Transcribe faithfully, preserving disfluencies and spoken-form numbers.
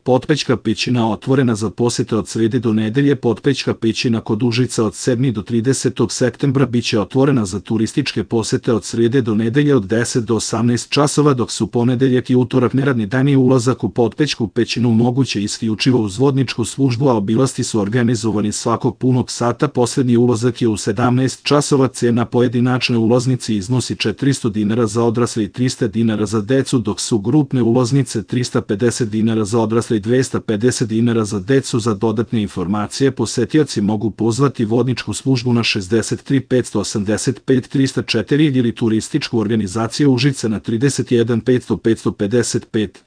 Potpećka pećina otvorena za posete od srede do nedelje. Potpećka pećina kod Užica od sedmog do tridesetog septembra biće otvorena za turističke posete od srede do nedelje od deset do osamnaest časova, dok su ponedeljak i utorak neradni dani. Ulazak u Potpećku pećinu moguće isključivo uz vodničku službu, a obilasci su organizovani svakog punog sata. Poslednji ulazak je u sedamnaest časova. Cena pojedinačne ulaznice iznosi četiristo dinara za odrasle i trista dinara za decu, dok su grupne ulaznice trista pedeset dinara za odrasle i dvesta pedeset dinara za decu. Za dodatne informacije posetioci mogu pozvati vodničku službu na šezdeset tri petsto osamdeset pet trista četiri ili turističku organizaciju Užice na trideset jedan petsto petsto pedeset pet.